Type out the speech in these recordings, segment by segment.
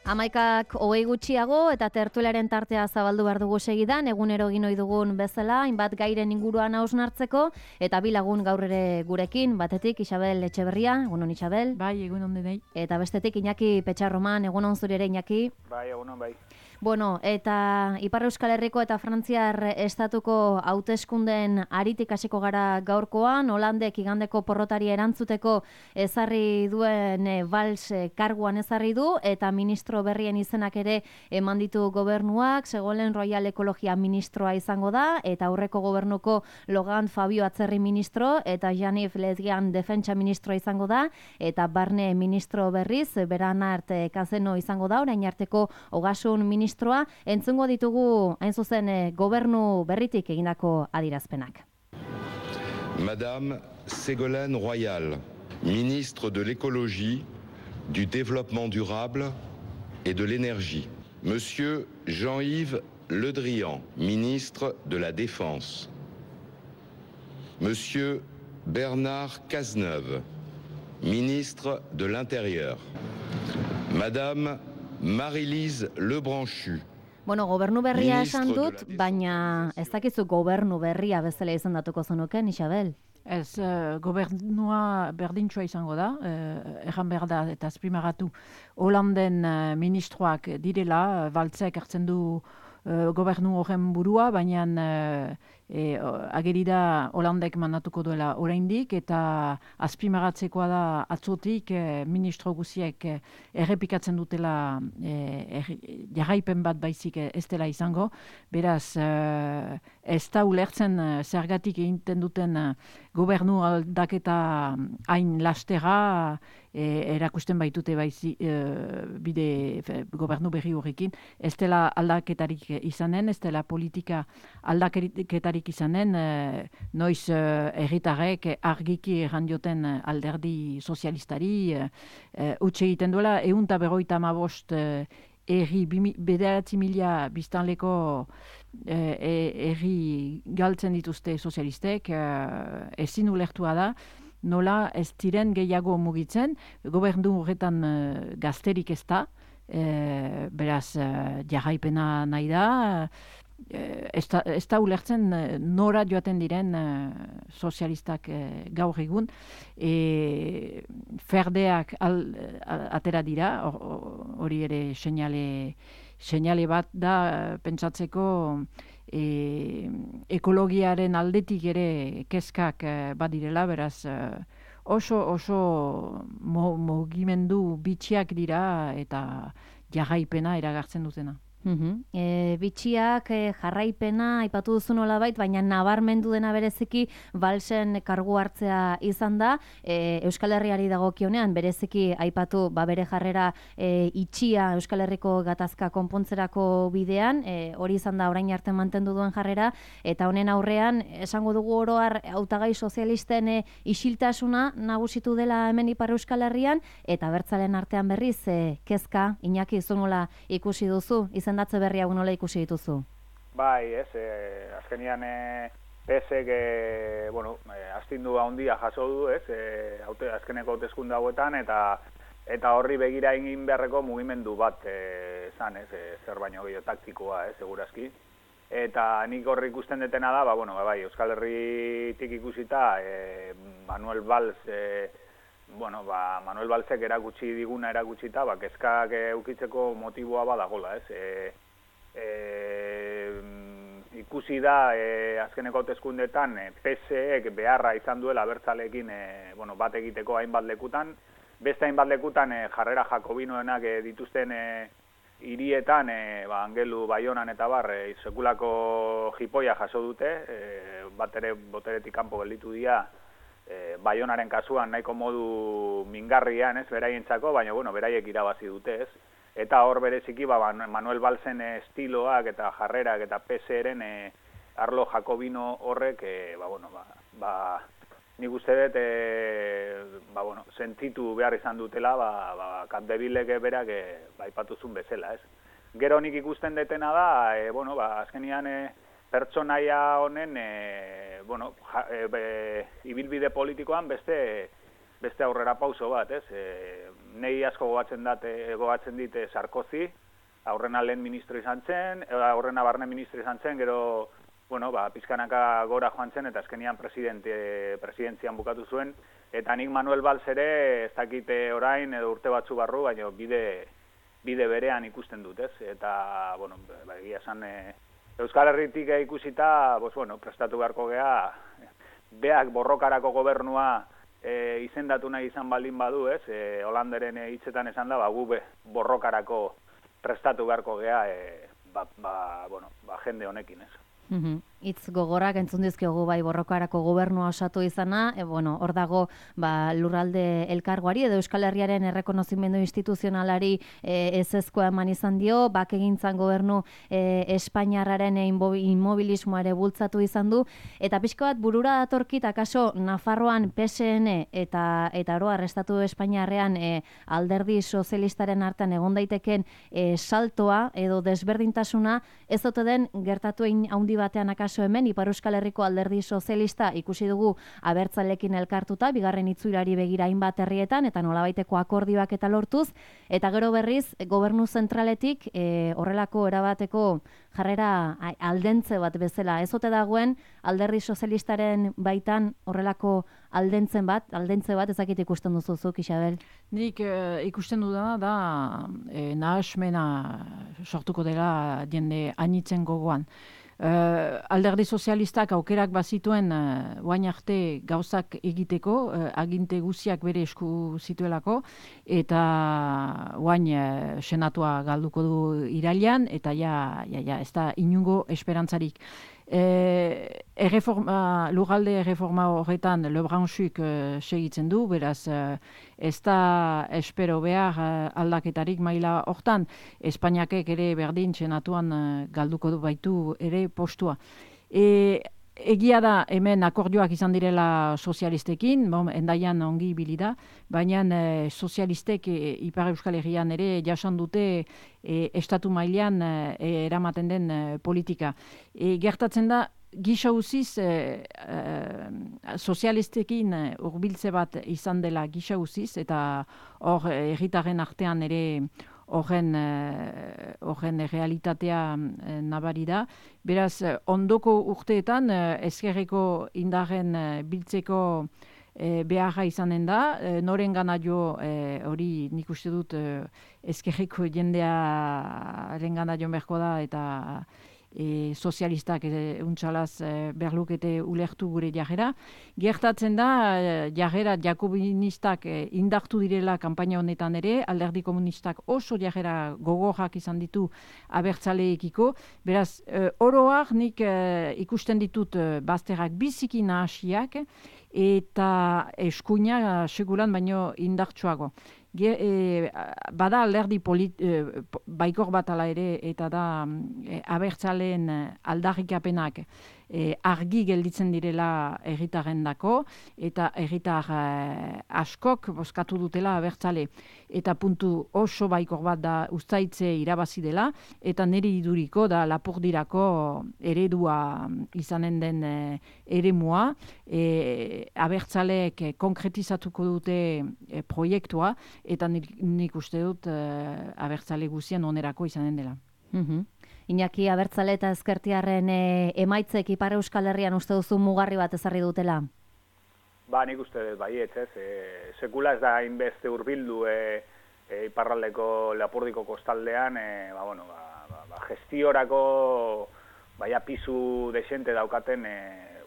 Amaikak hogei gutxiago eta tertuliaren tartea zabaldu behar dugu segidan, egunero egin ohi dugun bezala, hainbat gairen inguruan hausnartzeko, eta bi lagun gaur ere gurekin, batetik Isabel Etxeberria, egunon Isabel. Bai, egunon denei. Eta bestetik Iñaki Petxarroman, egunon zuri ere Iñaki. Bai, egunon bai. Bueno, eta Ipar Euskal Herriko eta Frantziar estatuko hauteskundeen aritik hasiko gara gaurkoan, Holandek igandeko porrotari erantzuteko ezarri duen Valls karguan ezarri du, eta ministro berrien izenak ere eman ditu gobernuak, Segolen Royal Ekologia ministroa izango da, eta aurreko gobernuko Logan Fabio Atzerri ministro, eta Janif Ledgian defentsa ministroa izango da, eta barne ministro berriz, Beranart Kazeno izango da, orain arteko ogasun ministroa, entzungo ditugu hain zuzen gobernu berritik egindako adierazpenak. Madame Ségolène Royal, ministre de l'écologie, du développement durable et de l'énergie. Monsieur Jean-Yves Le Drian, ministre de la Défense. Monsieur Bernard Cazeneuve, ministre de l'Intérieur. Madame Marie-Lise Lebranchu. Bueno, gobernu berria esan dut, baina ez dakizu gobernu berria bezala izendatuko zenuken, Isabel? Ez, gobernua berdintxoa izango da, erran behar da eta azpimagatu Holanden ministroak direla, Valtzek hartzen du gobernu horren burua, baina ageri da Holandek mandatuko duela oraindik, eta azpimagatzekoa da atzotik ministro guziek errepikatzen dutela jarraipen bat baizik ez dela izango. Beraz, ez da ulertzen zergatik egiten duten gobernu aldaketa hain lastera erakusten baitute bide gobernu berri horrekin. Ez dela aldaketarik izanen, ez dela politika aldaketarik izanen, noiz herritarrek argiki errandioten alderdi sozialistari utxe egiten duela, 155 erri 9.000 biztanleko erri galtzen dituzte sozialistek, ezin ulertua da, nola ez diren gehiago mugitzen, gobernu horretan gazterik ez da, beraz jarraipena nahi da, ez da ulertzen nora joaten diren sozialistak gaur egun, ferdeak atera dira, hori ere seinale bat da pentsatzeko ekologiaren aldetik ere kezkak badirela, beraz oso mugimendu bitxiak dira eta jarraipena eragartzen dutena. Bitxiak jarraipena aipatu duzu nolabait, baina nabarmendu dena bereziki Valsen kargu hartzea izan da. Euskal Herriari dagokionean bereziki aipatu bere jarrera itxia Euskal Herriko gatazka konpontzerako bidean, hori izan da orain arte mantendu duen jarrera, eta honen aurrean esango dugu oro har hautagai sozialisten isiltasuna nagusitu dela hemen Ipar Euskal Herrian, eta abertzaleen artean berriz kezka. Iñaki, zu nola ikusi duzu? Izendatze berri hau nola ikusi dituzu? Bai, azkenian PSek, astindu handia jaso du, azkeneko hauteskunde hauetan, eta horri begira egin beharreko mugimendu bat zan, zer baino gehiago taktikoa, segurazki. Eta nik horri ikusten detena da, bai, Euskal Herritik ikusita, Manuel Valls, Manuel Valsek erakutsita, kezkak eukitzeko motiboa badagola, ikusi da azkeneko hauteskundeetan PSek beharra izan duela abertzaleekin bat egiteko hainbat lekutan, beste hainbat lekutan jarrera jakobinoenak dituzten hirietan, Angelu, Baionan eta sekulako jipoia jaso dute, bat ere boteretik kanpo gelditu dira, Baionaren kasuan nahiko modu mingarrian, beraientzako, baina beraiek irabazi dute, Eta hor bereziki Manuel Vallsen estiloak eta jarrerak eta PSren arlo jakobino horrek, nik uste dut, sentitu behar izan dutela, Capdevilek berak aipatuzun bezala, Gero nik ikusten detena da, azkenian pertsonaia honen, ibilbide politikoan beste beste aurrera pauso bat, ez? Nei asko gogatzen dit Sarkozy, aurrena lehen ministro izan zen, aurrena barne ministro izan zen, gero, bueno, pizkanaka gora joan zen, eta azkenian presidentzian bukatu zuen, eta nik Manuel Valls ere, ez dakite orain, edo urte batzu barru, baina bide berean ikusten dut, ez? Eta, bueno, egia esan, Euskal Herritik ikusita, bueno, prestatu beharko gea, beak borrokarako gobernua izendatu nahi izan baldin badu, ez? Holanderen hitzetan esan da, gu borrokarako prestatu beharko gea, jende honekin, ez? Itz gogorrak entzun dizkiogu bai borrokarako gobernua osatu izana, hor dago lurralde elkargoari edo Euskal Herriaren errekonozimendu instituzionalari ezezkoa eman izan dio, bakegintzan gobernu Espainiarraren inmobilismoa ere bultzatu izan du, eta pixko bat burura datorkit akaso Nafarroan PSN eta oroar Estatu Espainiarrean alderdi sozialistaren artean egon daiteken saltoa edo desberdintasuna ez ote den gertatu handi batean akaso hemen, Ipar Euskal Herriko alderdi sozialista ikusi dugu abertzalekin elkartuta, bigarren itzulari begira hainbat herrietan, eta nolabaiteko akordioak eta lortuz, eta gero berriz, gobernu zentraletik horrelako erabateko jarrera aldentze bat bezala. Ez ote dagoen alderdi sozialistaren baitan horrelako aldentze bat, ezakit ikusten duzuzuk, Isabel? Nik ikusten dudana da nahasmena sortuko dela jende anitzen gogoan. Alderdi sozialistak aukerak bazituen oain arte gauzak egiteko, aginte guziak bere esku zituelako, eta oain senatua galduko du irailean, eta ez da inungo esperantzarik. Lurralde erreforma horretan Le Branchuk segitzen du, beraz ez da espero behar aldaketarik maila hortan. Espainiakek ere berdin senatuan galduko du baitu ere postua. Egia da hemen akordioak izan direla sozialistekin, endaian ongi ibili da, baina sozialistek Ipar Euskal Herrian ere jasan dute estatu mailean eramaten den politika. Gertatzen da, gisa uziz sozialistekin hurbiltze bat izan dela gisa uziz, eta hor herritarren artean ere horren realitatea nabari da. Beraz, ondoko urteetan ezkerreko indarren biltzeko beharra izanen da, noren gana jo hori nik uste dut ezkerreko jendearen gana jo berko da, eta sozialistak untxalaz berlukete ulertu gure jarrera. Gertatzen da, jarrera jakobinistak indartu direla kanpaina honetan ere, alderdi komunistak oso jarrera gogorrak izan ditu abertzaleekiko. Beraz, oroak nik ikusten ditut bazterrak biziki nahasiak, eta eskuina seguran baino indartsuago. Bada alderdi baikor bat ala ere, eta da abertzaleen aldarrikapenak argi gelditzen direla herritarrendako, eta herritar askok bozkatu dutela abertzale. Eta puntu oso baikor bat da uztaitze irabazi dela, eta niri iduriko da Lapurdirako eredua izanen den eremua, abertzaleek konkretizatuko dute proiektua, eta nik uste dut abertzale guzien onerako izanen dela. Iñaki, abertzale eta ezkertiarren emaitzek Ipar Euskal Herrian uste duzu mugarri bat ezarri dutela? Nik uste dut baietz, ez. Sekula ez da hainbeste hurbildu iparraldeko Lapurdiko kostaldean, gestiorako pisu desente daukaten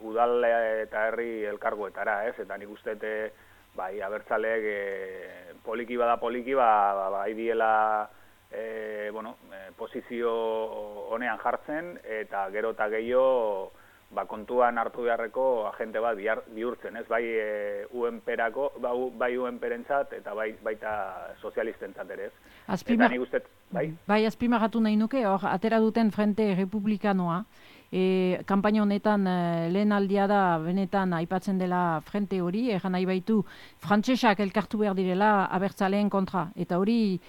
udal eta herri elkargoetara, ez. Eta nik uste dut abertzaleek poliki bai diela posizio honean jartzen, eta gero eta gehiago kontuan hartu beharreko agente bat bihurtzen, ez? Bai UNP-erako, bai UNP-rentzat, eta baita sozialistentzat ere, ez? Eta nik uste, bai, azpimarratu nahi nuke, hor, atera duten Frente Republikanoa, kanpaina honetan lehen aldia da benetan aipatzen dela frente hori, nahi baitu frantsesak elkartu behar direla abertzaleen kontra, eta hori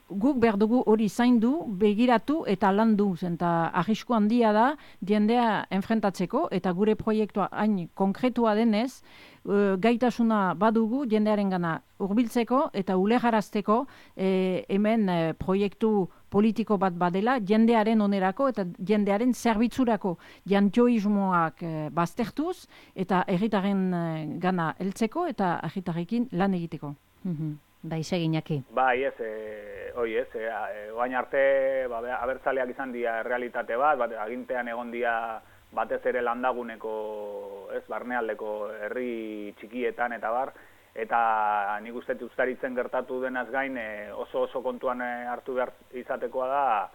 guk behar dugu hori zaindu, begiratu eta landu, eta arrisku handia da jendea enfrentatzeko, eta gure proiektua hain konkretua denez, gaitasuna badugu jendearen gana hurbiltzeko eta ulegarazteko hemen proiektu politiko bat badela jendearen onerako eta jendearen zerbitzurako jantjoismoak baztertuz eta herritarren gana heltzeko eta herritarrekin lan egiteko. Bai, seginaki. Bai, oain arte abertzaleak izan dira realitate bat, agintean egon dira batez ere landaguneko, barnealdeko herri txikietan eta bar, eta nik uste uztaritzen gertatu denaz gain oso kontuan hartu behar izatekoa da,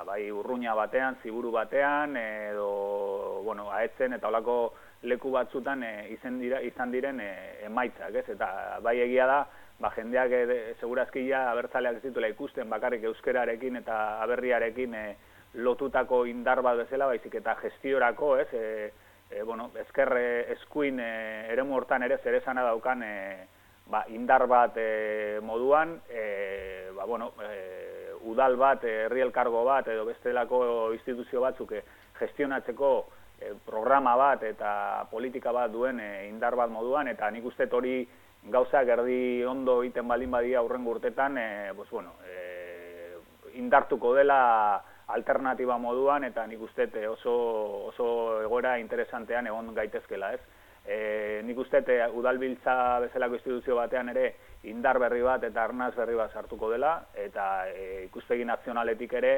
bai urruña batean, ziburu batean, edo, aetzen eta olako leku batzutan izan diren emaitzak, eta bai egia da, jendeak segurazkia abertzaleak ez dituela ikusten bakarrik euskerarekin eta aberriarekin lotutako indar bat bezala, baizik eta gestiorako, ezker eskuin eremu hortan ere zeresana daukan indar bat moduan, udal bat, herri elkargo bat edo bestelako instituzio batzuk gestionatzeko programa bat eta politika bat duen indar bat moduan, eta nik uste hori gauzak erdi ondo egiten baldin badia aurrengo urtetan, indartuko dela alternatiba moduan, eta nik uste oso egoera interesantean egon gaitezkela, ez? Nik uste udalbiltza bezalako instituzio batean ere indar berri bat eta arnaz berri bat sartuko dela, eta ikuspegi nazionaletik ere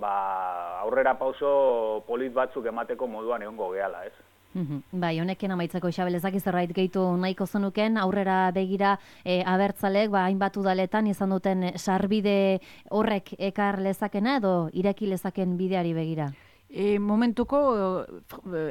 aurrera pauso polit batzuk emateko moduan egongo gehala, ez? Bai, honekin amaitzeko Isabel, ezak zerbait gehitu nahiko zenuken, aurrera begira abertzalek, hainbat udaletan izan duten sarbide horrek ekar lezakena edo ireki lezaken bideari begira? Momentuko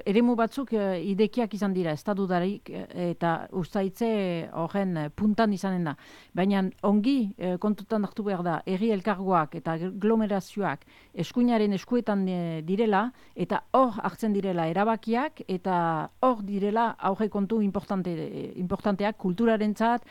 eremu batzuk idekiak izan dira, estatudarik eta ustaitze horren puntan izanen da. Baina ongi kontutan hartu behar da, herri elkargoak eta aglomerazioak eskuinaren eskuetan direla eta hor hartzen direla erabakiak eta hor direla aurre kontu importanteak kulturarentzat,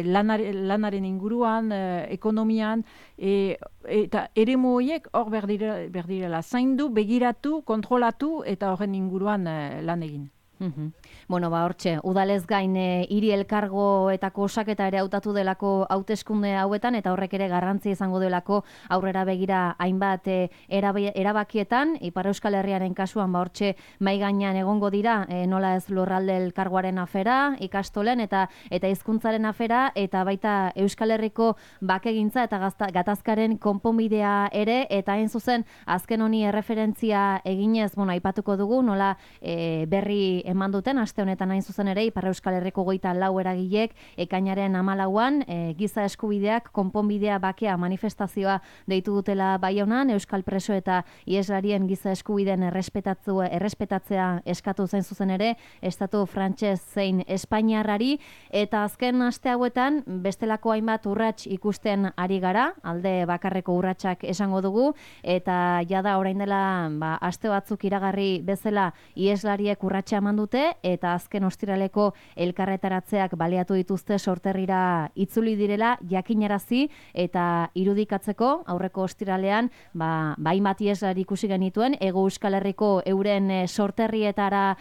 lanaren inguruan, ekonomian, eta eremu horiek hor behar direla zaindu, begiratu, kontrolatu eta horren inguruan lan egin. Hortxe, udalez gain hiri elkargoetako osaketa ere hautatu delako hauteskunde hauetan eta horrek ere garrantzia izango delako aurrera begira hainbat erabakietan, Ipar Euskal Herriaren kasuan hortxe mai gainean egongo dira, nola ez lurralde elkargoaren afera, ikastolen eta hizkuntzaren afera, eta baita Euskal Herriko bakegintza eta gatazkaren konponbidea ere, eta hain zuzen azken honi erreferentzia eginez, aipatuko dugu, nola berri eman duten, aste honetan hain zuzen ere, Ipar Euskal Herriko 24 eragilek ekainaren 14an giza eskubideak konponbidea bakea manifestazioa deitu dutela Baionan, euskal preso eta ieslarien giza eskubideen errespetatzea eskatu zain zuzen ere, estatu frantses zein espainiarrari, eta azken aste hauetan bestelako hainbat urrats ikusten ari gara, alde bakarreko urratsak esango dugu, eta jada orain dela aste batzuk iragarri bezala ieslariek urratsa eman dute, eta azken ostiraleko elkarretaratzeak baliatu dituzte sorterrira itzuli direla jakinarazi eta irudikatzeko aurreko ostiralean hainbat ieslari ikusi genituen Hego Euskal Herriko euren sorterrietara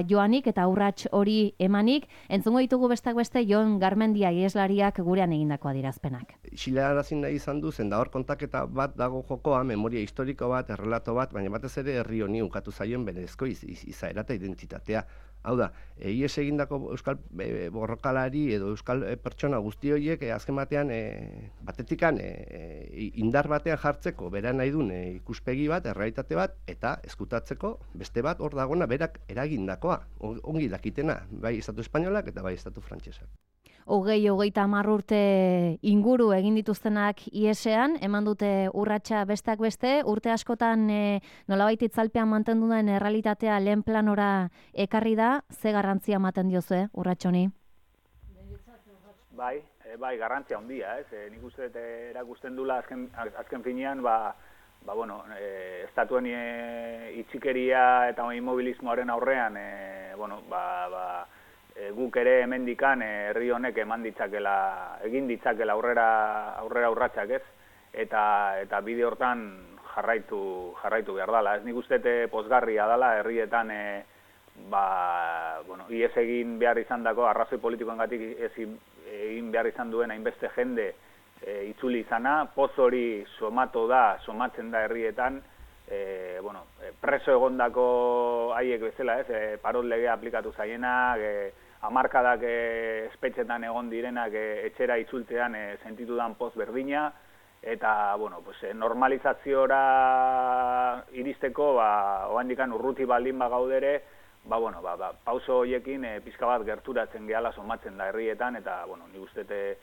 joanik eta urrats hori emanik. Entzungo ditugu besteak beste Jon Garmendia ieslariak gurean egindako adierazpenak. Xilarazi nahi izan du zen da hor kontaketa bat dago jokoa, memoria historiko bat, errelato bat, baina batez ere herri honi ukatu zaion berezko izaera eta identitatea. Hau da, ies egindako euskal borrokalari edo euskal pertsona guzti horiek azken batean batetikan indar batean jartzeko bera nahi duen ikuspegi bat, errealitate bat, eta eskutatzeko beste bat hor dagona berak eragindakoa, ongi dakitena, bai Estatu Espainolak eta bai Estatu Frantsesak. 20-30 urte inguru egin dituztenak iesean, eman dute urratsa besteak beste, urte askotan nolabait itzalpean mantendu den errealitatea lehen planora ekarri da, ze garrantzia ematen diozu urrats honi? Bai, garrantzia handia, ez? Nik uste erakusten dula azken finean, estatuen itxikeria eta immobilismoaren aurrean, guk ere hemendikan herri honek egin ditzakela aurrera urratsak, ez? Eta bide hortan jarraitu behar dela. Ez nik uste pozgarria dela herrietan ies egin behar izan dako, arrazoi politikoengatik egin behar izan duen hainbeste jende itzuli izana, poz hori somatzen da herrietan, preso egondako haiek bezala, ez, parot legea aplikatu zaienak, hamarkadak espetxetan egon direnak etxera itzultean sentitu dan poz berdina, eta, normalizaziora iristeko, oandikan urruti baldin gaudere, pauso horiekin pizka bat gerturatzen gehala somatzen da herrietan, eta, nik ustete,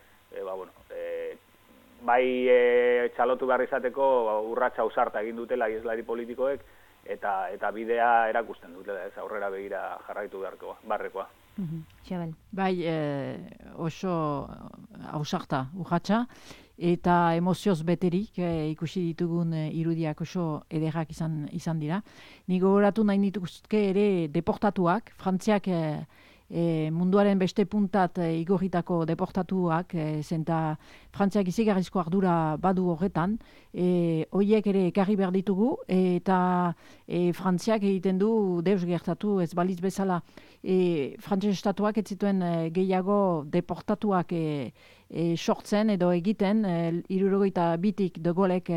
txalotu behar izateko urratsa ausarta egin dutela ieslari politikoek, eta bidea erakusten dutela, ez aurrera begira jarraitu beharrekoa. Xabel. Bai, oso ausarta urratsa, eta emozioz beterik ikusi ditugun irudiak oso ederrak izan dira. Nik gogoratu nahi nituzke ere deportatuak, Frantziak munduaren beste puntat igorritako deportatuak, zenta Frantziak izigarrizko ardura badu horretan, horiek ere ekarri behar ditugu, eta Frantziak egiten du deus gertatu ez balitz bezala. Frantziak estatuak ez zituen gehiago deportatuak sortzen edo egiten, 72tik de Gaulek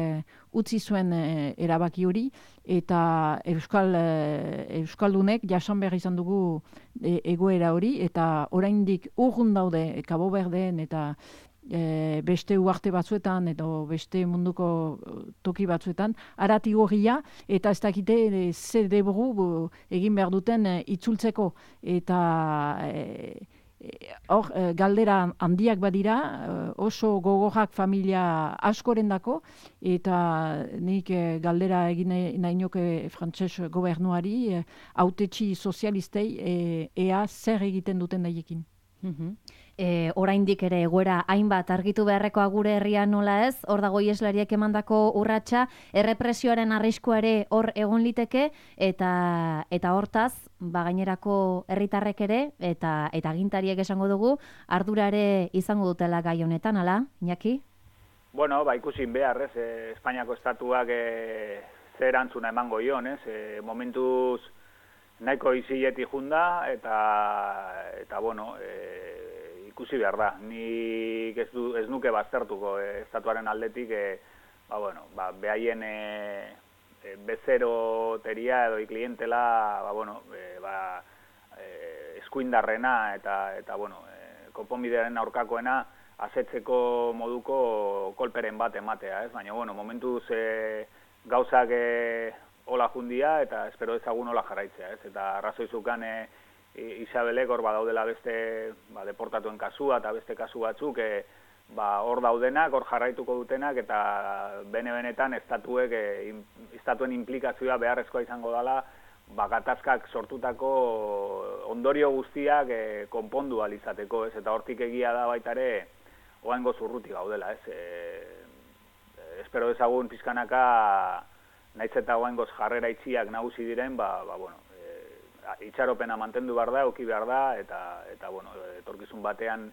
utzi zuen erabaki hori, eta Euskaldunek jasan behar izan dugu egoera hori, eta oraindik urrun daude Cabo Verdeen eta beste uarte batzuetan edo beste munduko toki batzuetan, aratigorria, eta ez dakite ze debru egin behar duten itzultzeko, eta hor galdera handiak badira, oso gogorrak familia askorendako, eta nik galdera egin nahi nioke frantses gobernuari, hautetsi sozialistei, ea zer egiten duten daiekin. Oraindik ere egoera hainbat argitu beharrekoa gure herrian nola ez, hor dago ieslariek emandako urratsa, errepresioaren arriskua ere hor egon liteke, eta hortaz, gainerako herritarrek ere, eta agintariek esango dugu, ardura ere izango dutela gai honetan, ala, Iñaki? Bueno, ikusin behar, ez, Espainiako estatuak zer erantzuna emango ion, ez, momentuz nahiko izileti junda, eta ikusi behar da. Nik ez nuke baztertuko estatuaren aldetik, behaien bezeroteria edo iklientela, eskuindarrena eta konponbidearen aurkakoena asetzeko moduko kolperen bat ematea, ez? Baina, momentuz gauzak hola jundia eta espero ezagun hola jarraitzea, ez? Eta arrazoizukan Isabelek hor badaudela beste deportatuen kasua eta beste kasu batzuk hor daudenak, hor jarraituko dutenak eta benetan estatuen implikazioa beharrezkoa izango dela gatazkak sortutako ondorio guztiak konpondu alizateko, ez? Eta hortik egia da baita ere oaingo zurruti gaudela, ez? Espero ezagun pizkanaka naiz eta oaingoz jarrera itxiak nagusi diren, itxaropena mantendu behar da, euki behar da, eta etorkizun batean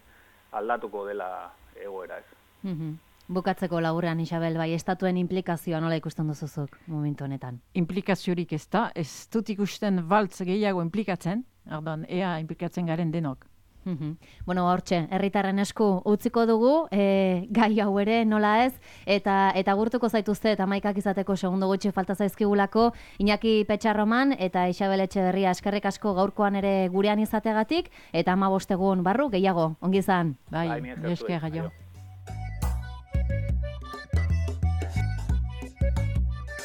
aldatuko dela egoera, ez. Bukatzeko laburrean, Isabel, bai, estatuen implikazioa nola ikusten duzuzuk momentu honetan? Implikaziorik ez da, ez dut ikusten baltz gehiago implikatzen, ea implikatzen garen denok. Hortxe, herritarren esku utziko dugu, gai hau ere nola ez, eta gurtuko zaituzte eta maikak izateko segundo gutxi falta zaizkigulako, Iñaki Petxarroman eta Isabel Etxeberria eskerrik asko gaurkoan ere gurean izategatik, eta 15 egun barru gehiago, ongi izan. Bai, esker gaio.